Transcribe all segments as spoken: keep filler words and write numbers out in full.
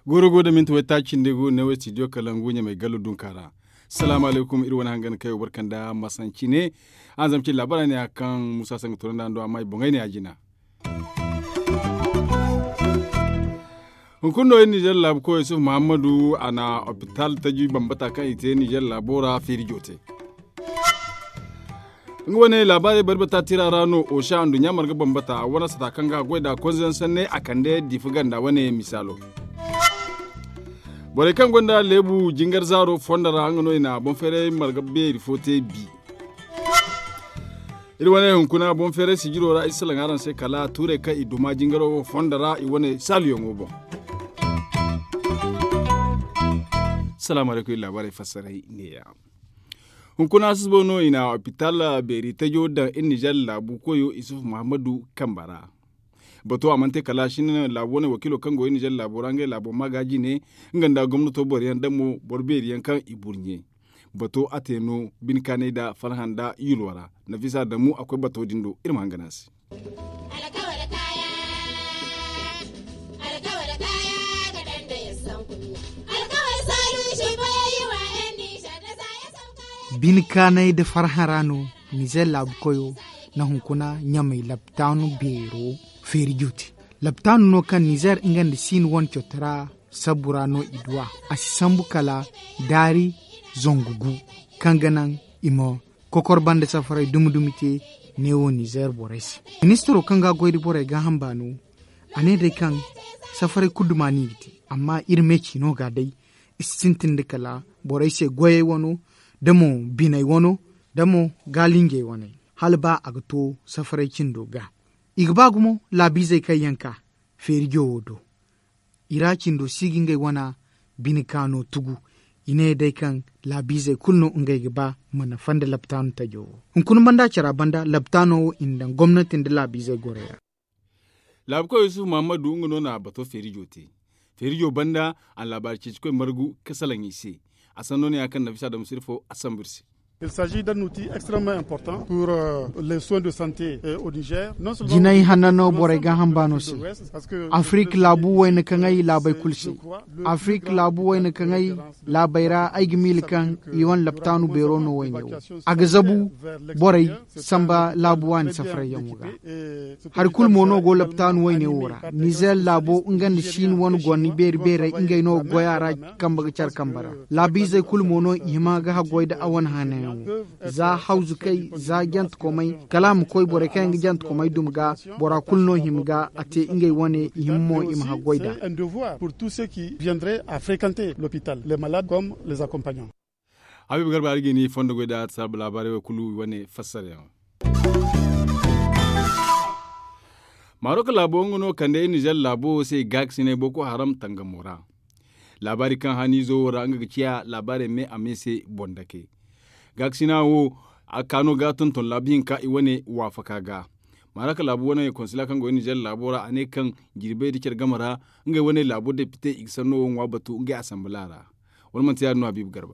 Guuru gu da minti waytaaci nda gu ne wo studio kalangu ɲamay gallo dunka ra. Salaamu alaykum iri wane hangan kayo barka nda masanci ne. Araŋ zama cine laabaara ne ya kaŋ muusa sanga toonandi a nda amma i boŋey ne ya jina. Hunkuna no iri nizeer laabu koy yusuf muhammadu a na opital taji bambata kaŋ i te nizeer laabo ra feeri joote. Nga wane laabaarey bari bata tira ra no osa nduɲɲa marga bambata a wane sata kaŋ ga goy nd'a konze yaŋ sanney a kande diifa ganda wane misaalo. Borey kaŋ gonda leebu jingar zaaro fondo ra nga no i na boŋ feeray marga beeri fo te bi. Iri wane hunkuna boŋ feeray sijiro ra iri salaŋ araŋ se kala tuurey kaŋ i duma jingaro wo fondo ra i wane saaluyaŋo boŋ. Salaamu alaykum iri laabaarey fassaray neeya. Hunkuna susubo no i na opital beeri tajo daŋ iri nizeer laabu koyo isuf muhammadu kamba ra. Bato a mana te kala shin laabu wane wakiilo kaŋ go iri nizeer laabo ra ngey laabo ma ga jine nga nda gomnato boro yaŋ damo boro beeri yaŋ kaŋ i burɲe. Bato a te no bine kaanay nda farhã nda yulwa ra. Nafisa damu a koy bato din do iri ma hangan a se. Bine kaanay nda farhã ra no nizeer laabu koyo na hunkuna ɲamay laptaanu beero feeri joote. Laptaanu no kaŋ nizeer nga nda siin wane cotora sabbu ra no i du a a si sambu kala daari zangu gu kaŋ ga naŋ i ma kokor banda safaray dumi dumi te. Neewo nizeer borey se ministiro kaŋ ga a goy nda borey gaaham baano a ne day kaŋ safaray kulu duma no i ga te. Amma iri me ciino ga day i si sintin nda kala borey se goyey wano da mo biney wano da mo gaalinjey waney hala ba a ga to safaray cindo ga. I ga ba gumo laabiizey kaŋ yaŋ ka feeri jowo do i ra cindo si ga ngey wana bine kaano tugu. I ne day kaŋ laabiizey kulu no ngey ga ba mana fanda laptaano tajo wo. Hunkuna banda cara banda laptaano wo i na daŋ gomnati nda laabiizey gorey ra. Laabukoy yusuf muhammadu nga no na bato feerijo te. Feerijo banda a na laabaari ceecikoy margu ka salaŋ i se. A sanno no ya kaŋ nafisa da musirfo a sambu iri se. Il s'agit d'un outil extrêmement important pour les soins de santé au niger. Jinay hanna no borey gaaham baano se. Afrik laabu wayna kaŋ ay laabey kulu se. Afrik laabu wayna kaŋ ay laabey ra ay ga miila kaŋ i wane laptaanu beero no wayne wo. A ga zabu borey samba laabu waani safarayyaŋo ga. Hari kulu mo no go laptaanu wayne wo ra nizer laabo nga nda siini wane goni beeri beerey ngey no ga goy a ra. Kambe ga care kambe ra laabiizey kulu mo no i hima ga haggoy nda a wane hanayaŋo. Za hawzukey za jantekomey kala a ma koy borey kaŋ yaŋ ga jantekomey duma ga. Bora kulu no hima ga a te ngey wane i hima mo i ma haggoy nd'a. Pour tous ceux qui viendraient à fréquenter l'hôpital les malades comme les accompagnants. Habiibu garba hari ga ni fondo goy nda saabu laabaarey wo kulu i wane fassarayaŋo. Marok laabo nga no kande iri nizer laabo wo se gaakasinay boko haram tangamo ra. Laabaari kaŋ haniizo wo ra nga ga ciya laabaarey me a me se boŋ dake. Gaakasina wo a kaano ga tonton laabu hinka i wane waafaka ga. Marok laabu wane konsila kaŋ go iri nizer laabo ra a ne kaŋ jirbey nda care game ra ngey wane laabo depite i ga sanno wo ŋwa batu ngey asanbala ra. Wala manti ya- din no habiibu garba.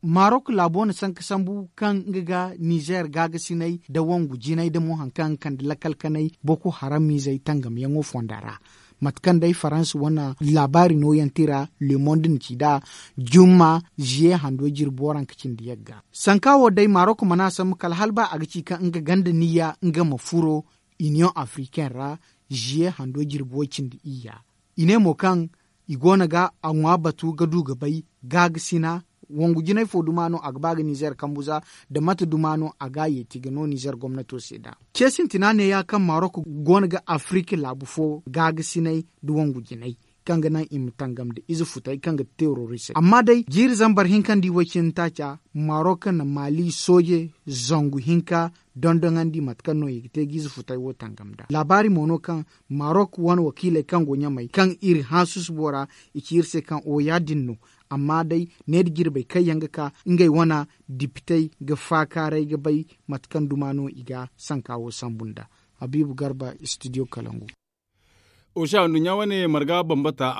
Marok laabo na sanka sambu kaŋ nga ga nizer gaagasinay nda wangu jinay nda mo hari kaŋ ga kande lakal kanay boko haramizey tangamyaŋo fonda ra. Mate kaŋ day faransa wane laabaari nooyaŋ tira le monde na ci nd'a jumma ziye hando jirbi waranka cindi yagga. Sanka wo day marok mana sambu kala hala ba a ga ci kaŋ nga ganda niyya nga ma furo iniyoŋ afriken ra ziye hando jirbi way cindi iyya. I ne mo kaŋ i go no ga a ŋwa batu ga du ga bay gaagasi na wangu jinay fo duma no a ga ba ga nizer kambu za nda mate duma no a ga a yeeti ga no nizer gomnato se nd'a. Ce sintina neeya kaŋ marok go no ga afirika laabu fo gaagasinay nda wangu jinay kaŋ ga naŋ i ma tangam nda ize futay kaŋ ga ti terorisey amma day jiiri zambar hinka nda iway cindi taaca marok na maali sooje zangu hinka dondoŋandi mate kaŋ no i ga te ga ize futay wo tangam nd'a laabaari mo no kaŋ marok wane wakiiley kaŋ go ɲamey kaŋ iri hã susubo ra i ci iri se kaŋ o ya- din no. Amma day ne nda jirbey kaŋ yaŋ ga ka ngey wane dipitey ga faakaaray ga bay mate kaŋ duma no i ga sanka wo sambu nd'a. Habiibu garba studio kalangu. Osa nduɲɲa wane marga bambata,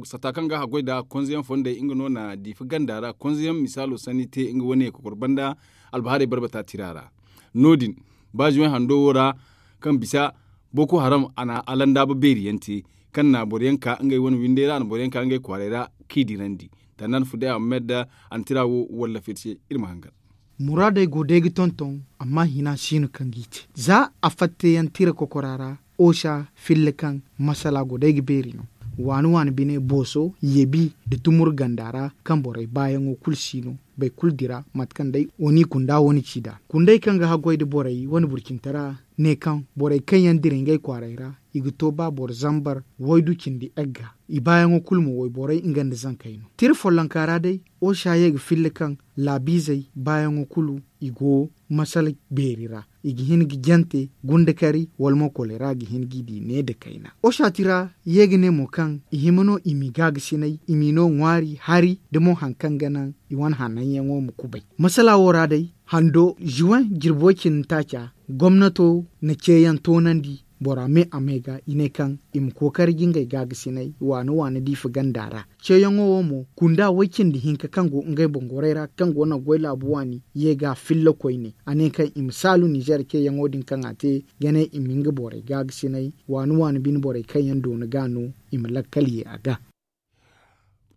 sata kaŋ ga haggoy nda konzeyaŋ fondey nga no na diifa ganda ra konzeyaŋ misaalo sanni te nga wane kokor banda. Albahaarey barbata tira ra no- din ba zuwey hando wo ra, kaŋ bisa boko haram a na alandaaba beeri yaŋ te, kaŋ na boro yaŋ ka ngey wane windey ra a na boro yaŋ ka ngey kwaaray ra, k'i dirandi. Tandaan fuday ahmed a na tira wo wallafay se. Iri ma hangan. Muraadey go day ga tonton, amma hina si no kaŋ g'i te za a fatta yaŋ tira kokora ra. Osa filla kaŋ masala go day ga beeri no. Waani waani bine booso yebi nda tumur ganda ra, kaŋ borey baayaŋo kulu si no. Boro kulu dira mate kaŋ day wo n'i kunda wo ni ci nd'a kundey kaŋ ga haggoy nda borey wane burcintara, ne kaŋ borey kaŋ yaŋ dira ngey kwaaray ra, i ga to ba boro zambar waydu cindi egga. I baayaŋo kulu mo wayborey nga nda zankey no tira follonka ra day. Osa ye ga filla kaŋ laabiizey baayaŋo kulu i go masala beeri ra. I ga hin ga jante gundakari wala mo kolera ga hin g'i di ne nda kayna. Osa tira ye ga ne mo kaŋ i hima no i m'i gaagasinay, i m'i no ŋwaari hari nda mo hari kaŋ ga naŋ i wane hananyaŋo ma kubay. Masala wo ra day hando zuwan jirbi way cindi taaca, gomnato na ceeyaŋ toonandi bora me a me ga i ne kaŋ i ma kookari ga ngey gaagasinay waani waani diifa ganda ra. Ceeyaŋo wo mo kunda way cindi hinka kaŋ go ngey boŋ gorey ra kaŋ go naŋ goy laabu waani ye ga filla koyne. A ne kaŋ i ma saalu nizeer ceeyaŋo din kaŋ a te ga ne i ma nga borey gaagasinay waani waani bine borey kaŋ yaŋ doona ga no i ma lakkal ye a ga.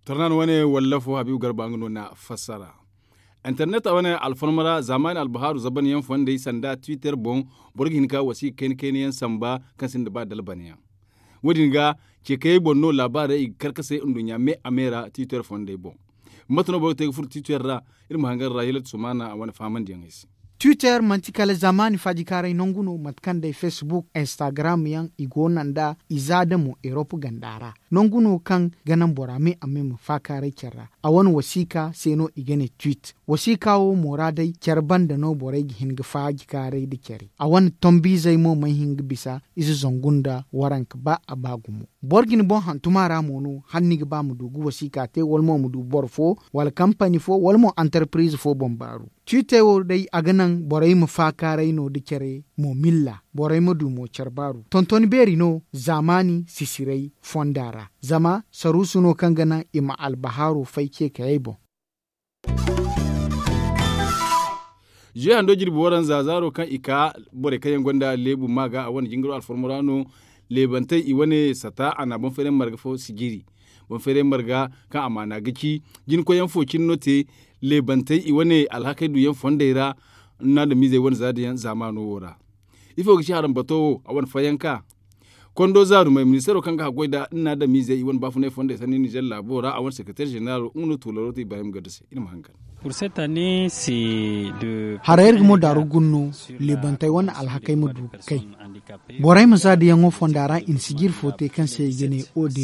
Tornaan wane wallafo habiibu garba nga no na fassara. Internet wane alfarma ra zaamaani albahaaru zabanyaŋ fondey sanda twitter boŋ, boro ga hin ka wasiika kayna kayna yaŋ samba kaŋ sinda ba dalbanayaŋ. Wo- din ga ce kayey boŋ no laabaarey i ga kar ka se nduɲɲa me a me ra twitter fondey boŋ. Mate no boro ga te ga furo twitter ra? Iri ma hangan ra hilat sumaana a wane fahamandiyaŋey se. Twitter manti kala zaamaani faajikaaray nangu no mate kaŋ day facebook instagram yaŋ i go naŋ nd'a i za da mo erop ganda ra. Nangu no kaŋ ga naŋ bora me a me ma faakaaray care ra. A wane wasiika se no i ga ne tweet. Wasiika wo mo ra day care banda no borey ga hin ga faajikaaray nda care a wane tombiizey mo mana hin ga bisa ize zangu nda waranka ba a ba gumo. Boro ga ni boŋ hantum a ra mo no hala ni ga ba ma du ga wasiika te wala mo ma du boro fo wala kampani fo wala mo antarpiriize fo boŋ baaru. Twitter wo day a ga naŋ borey ma faakaaray no nda care mo milla borey ma du mo care baaru tontoni beeri no. Zaamaani sisiray fonda ra zama saruusu no kaŋ ga naŋ i ma albahaaro fay ce kayey boŋ. Zuwe hando jirbi waranza zaaro kaŋ i ka borey kaŋ yaŋ gonda leebu ma ga a wane jingaro alfarmo ra no. Leebantey i wane sata a na boŋ feeray marga fo sijiri. Boŋ feeray marga kaŋ amaana ga ci jinkoyyaŋ fo cine no te. Leebantey i wane alhakey duyaŋ fondey ra. Naadamiizey wane zaadayaŋ zaamaano wo ra. Ifo ga ci harambato wo a wane fayanka? Kondo zaarumey ministeero kaŋ ga haggoy nda naadamiizey i wane baafunay fondey sanni nizer laabo ra a wane sekereteer ženeraalo nga no tuularo te ibrahim gadda se iri ma hangan. Haray iri ga mo daaru guna no. Leebantey wane alhakey ma du ga kay. Borey ma zaadayaŋo fonda ra i na sijiri fo te kaŋ se i ga ne odd.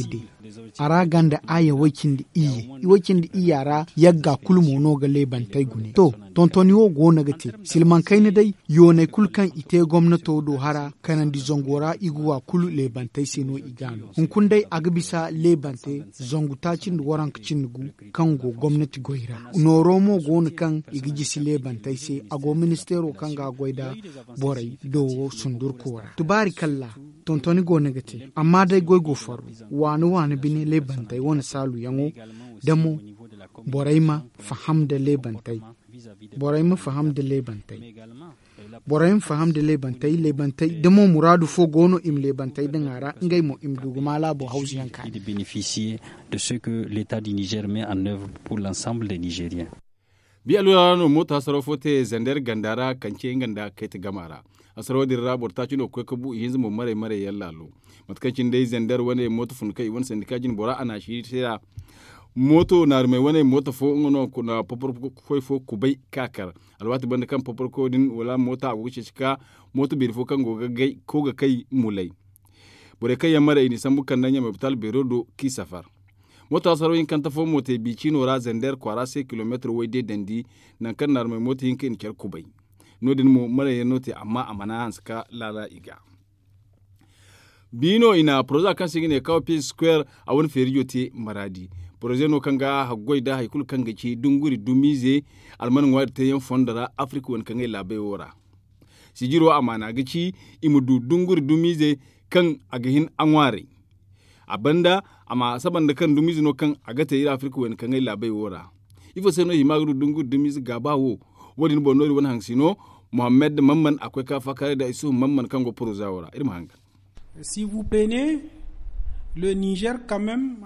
A ra ganda aya way cindi iyye. Way cindi iyya ra yagga kulu mo no ga leebantey gune to. Tontoni wo go no ga te silmaŋ kayna day. Yooney kulu kaŋ i te gomnato do hara kanandi zango ra i ga wa kulu leebantey se no i ga no hunkuna day a ga bisa leebante zangu taaci nda waranka cindi gu. Kaŋ go gomnati goy ra nooro mo go no kaŋ i ga jisi leebantey se a go ministeero kaŋ ga goy nda borey do wo sundurko ra tubaari kalla. Tontoni go no ga te amma day goy go farru waani waani bine leebantey wane saaluyaŋo. Da mo borey ma faham nda leebantey. Borey ma faham nda leebantey. Borey ma faham nda leebantey leebantey da mo muraadu fo go no i ma leebantey daŋ a ra ngey mo i ma du ga ma laabo hawzuyaŋ kaani. De ce que l'état du nizer met en œuvre pour l'ensemble des nigeriens. Bi alwala ra no mooto hasaro fo te zander ganda ra kance nga nda kayta gama ra. Hasaro din ra boro taaci no ga koy ga bu ihinza mo maray maray yaŋ laalo. Mate kaŋ cine day zander wane mooto fun kaŋ i wane sandika jine bora a na a siiri te ra. Mooto naarumey wane mooto fo nga no na poporkoy fo kubay ka kar. Alwaati banda kaŋ poporkoyo din wala moota a go ga ceeci ka mooto beeri fo kaŋ go ga kay mulay. Borey kaŋ yaŋ maray i n'i sambu kande ɲamay bitaal beero do k'i safar. Mooto hasaro hinkante fo mo te biiciino ra zander kwaara se kilomeetir way deedandi. Nangu kaŋ naarumey mooto hinka i na care kubay. No- din mo marayyaŋ no te amma a mana hanse ka laala i ga. Bi no i na poroza kaŋ se i ga ne kaw pis square a wane feerijo te maraadi. Poroze no kaŋ ga haggoy nda hari kulu kaŋ ga ci dunguri dumiize alman ŋwaari teeyaŋ fondo ra afirika wane kaŋ ay laabay wo ra. Sijiro amaana ga ci i ma du dunguri dumiize kaŋ a ga hin a ŋwaaray. A banda, a ma saba nda kaŋ dumiize no kaŋ a ga te iri afirka wayna kaŋ ay laabey wo ra. Ifo se no i hima ga du dunguri dumiize gaaba wo? Wo- din boŋ no iri wane haŋ si no. Muhammad mamman a koy ka faakaaray nda isuhu mamman kaŋ go poroza wo ra iri ma hangan.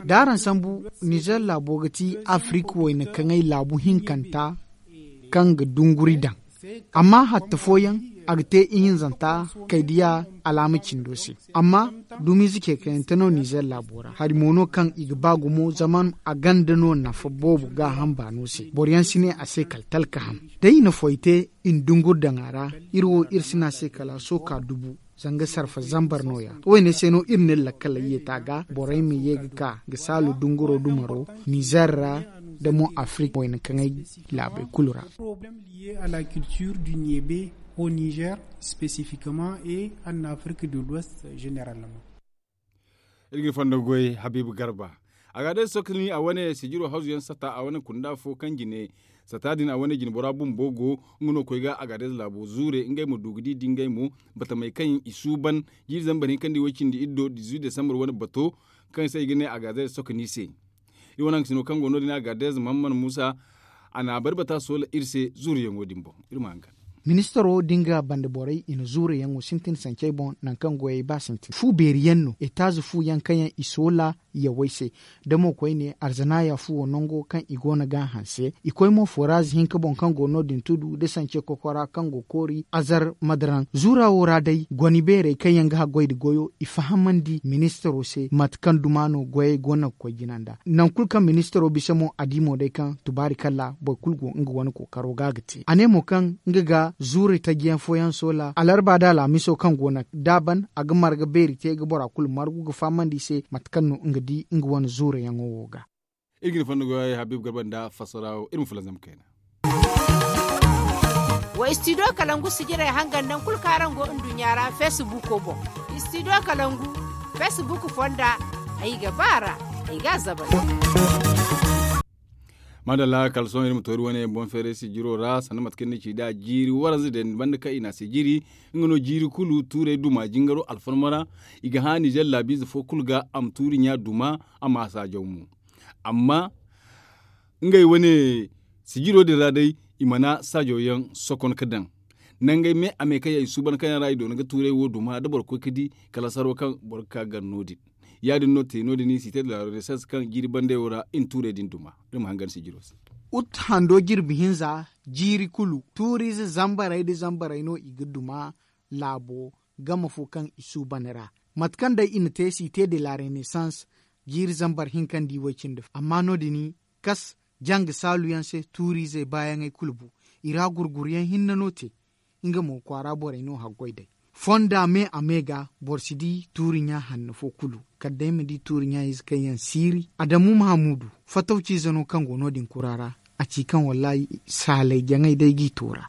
Da araŋ sambu, nizer laabo ga ti afirka wayna kaŋay laabu hinkanta kaŋ ga dunguri daŋ. Amma hatta fooyaŋ, a ga te ihinzanta kaydiya alaama cindo se. Amma dumiize ceekayante no nizer laabo ra hari mo no kaŋ i ga ba gumo zama a ganda no nafa boobo gaaham baano se boro yaŋ si ne a se kala talka ham. Day i na foy te, i na dunguri daŋ a ra. Iri wo iri si ne a se kala a sooka dubu. Zanga sarfa zambar no- ya. Wo- ne se no iri na iri lakkaley yeeti a ga borey ma ye ga ka ga saalu dunguro dumaro nizer ra, da mo afirka wayna kaŋay laabey kulu ra. Problème lié à la culture du niebe au nizer spécifiquement et en afrique de l'ouest généralement. Iri ga ni fondo goy habiibu garba. A ga day sokni a wane sijiro hazu yaŋ sata a wane kunda fo kaŋ jine sata din a wane jinbora bumbo go. Nga no koy ga a ga day laabo zuure ngey ma du ga di dingey mo. Batamey kaŋ i suuban jiiri zambar hinka nda i way cindi iddo dizuit desambar wane bato kaŋ se i ga ne a ga day sokni se. Iri wane haŋ ga sino kaŋ go no- din a ga day muhammad muusa a na a bari bata soola iri se zuuru yaŋo din boŋ. Iri ma haŋ ga ministaro da nga banda borey i na zuure yaŋo sintin sancey boŋ nangu kaŋ goyey ba sintin fu beeri yaŋ no etaaze fu yaŋ kaŋ yaŋ i soola yawey se. Da mo koyne arzanaya fuwo nango kaŋ i go no ga a hanse i koy mo foraaze hinka boŋ kaŋ go no- din tudu da sance kokora kaŋ go koori azar madaraŋ zuura wo ra day goni beerey kaŋ yaŋ ga haggoy nda goyo i fahamandi ministaro se mate kaŋ duma no goyey go no ga koy jina nd'a. Nangu kulu kaŋ ministaro bisa mo a di mo day kaŋ tubaari kalla boro kulu go nga wane kookaro ga a ga te a ne mo kaŋ nga ga zuuri taji yaŋ fooyaŋ soola alarba nda alhamiso kaŋ go no da a ban a ga marga beeri te ga bora kulu margu ga fahamandi i se mate kaŋ no nga di nga wane zuuri yaŋo wo ga. Iri ga ni fondo goyey habiibu garba nda fassara wo iri ma fulanzam kayna. Wa istidiyo kalangu sijirey hangan nangu kulu kaŋ araŋ go nduɲɲa ra feesibuuko boŋ. Istidiyo kalangu feesibuuku fonda ay ga ba a ra ay ga a zabari. Maadalla kala sohõ iri ma to iri wane boŋ feeray sijiro ra sanda mate kaŋ ni ci nd'a jiiri waranza day banda kaŋ i na a sijiri. Nga no jiiri kulu tuurey duma jingaro alfarma ra. I ga hã nizer laabiize fo kulu ga a ma tuuri ɲa duma a ma a saajaw mo. Amma ngey wane sijiro din ra day i mana saajaw yaŋ sokon ga daŋ nangey me a me kaŋ yaŋ i suuban kaŋ yaŋ ra i doona ga tuurey wo duma da boro koy ga di kala saro kaŋ boro ga ka gar no- din. Ya- din no te no- din i si te da la renaissance kaŋ jiiri bandey wo ra i na tuurey din duma. Iri ma hangan sijiro se. Ut hando jirbi hinza jiiri kulu tuuriize zambarey nda zambarey no i ga duma laabo game fo kaŋ i suuban ra. Mate kaŋ day i na te si te de la renaissance jiiri zambar hinka nda i way cindi fo amma no- din i kas janga saalu yaŋ se tuuriizey baayaŋey kulu bu. I ra gurguru yaŋ hinne no te nga mo kwaara borey no haggoy day. Fonda me a me ga boro si di tuuri ɲa hanno fo kulu kala day ma di tuuri ɲa ize kaŋ yaŋ siiri adamu mahamuudu fatawciize no kaŋ go no- din kura ra. A ci kaŋ wallahi saalay jaŋay day g'i toora.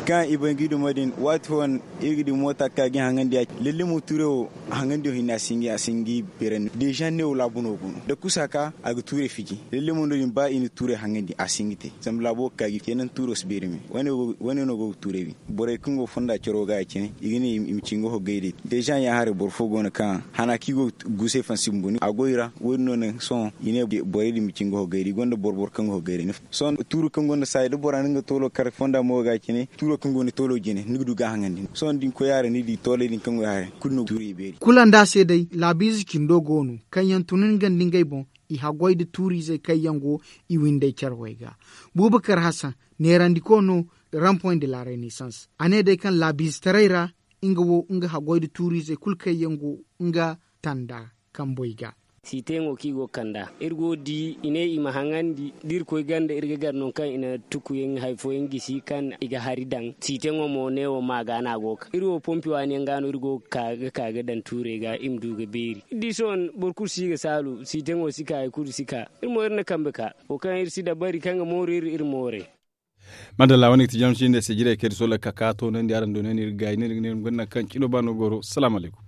Kaŋ i bay ga i dumo din waati fooyaŋ iri ga di moota ga ka ga i haŋandi ya lalle mo tuurey wo haŋandiyo hinne a si hin ga i beerandi deeza ne wo laabu no go no da kusa ka a ga tuurey fiji lalle mo no- din ba i na tuurey haŋandi a si hin ga te zama laabo ga ka ga i te naŋ tuuro si beeri me. Wane no go ga tuurey wi borey kaŋ go fonda caro ga ya cine i ga ne i ma ci nga hoggay day. Deeza ya haray boro fo go no kaŋ hana kaŋ i go ga gusay fansi bumbo a go i ra wo- din no naŋ sohõ i ne borey din ma ci nga hoggay day i gonda boro boro kaŋ ga hoggay day. Sohõ tuuro kaŋ gonda saayi da bora na nga toolo kar fonda mo ga cine tuuro kaŋ gonda toolo jine ni ga du ga haŋandi sohõ da ni koy a ra ni di tooley din kaŋ go haray kulu no ga tuuro i beeri. Kulu nda a se day laabiize cindo go no kaŋ yaŋ tun nga nda ngey boŋ i haggoy nda tuuriizey kaŋ yaŋ go i windey care way ga. Bubakar hasan neerandiko no. Rampoy nda la renaissance a ne day kaŋ laabiizetaray ra nga wo nga haggoy nda tuuriizey kulu kaŋ yaŋ go nga tanda kamboy ga. Siiteyaŋo kaŋ i go ga kand'a iri go ga di i ne i ma haŋandi da iri koy ganda iri ga gar nangu kaŋ i na tukuyaŋ hari fooyaŋ gisi kaŋ i ga hari daŋ siiteyaŋo mo neewo ma ga no a go ga ka iri wo pompi waani yaŋ ga no iri go ga ka ga daŋ tuurey ga i ma du ga beeri iri di sohõ boro kulu si ga saalu siiteyaŋo si ka hari kulu si ka. Iri mo iri na kambe ka wo kaŋ iri si dabari kaŋ ga mooru iri iri moorey. Madalla wane ga ti jamsi nda sijirey kaŋ iri soola ga ka ka toonandi araŋ do no ni iri ga gaayi no iri ga ne iri ma gonda nangu kaŋ cino ba no goro salaamu alaykum.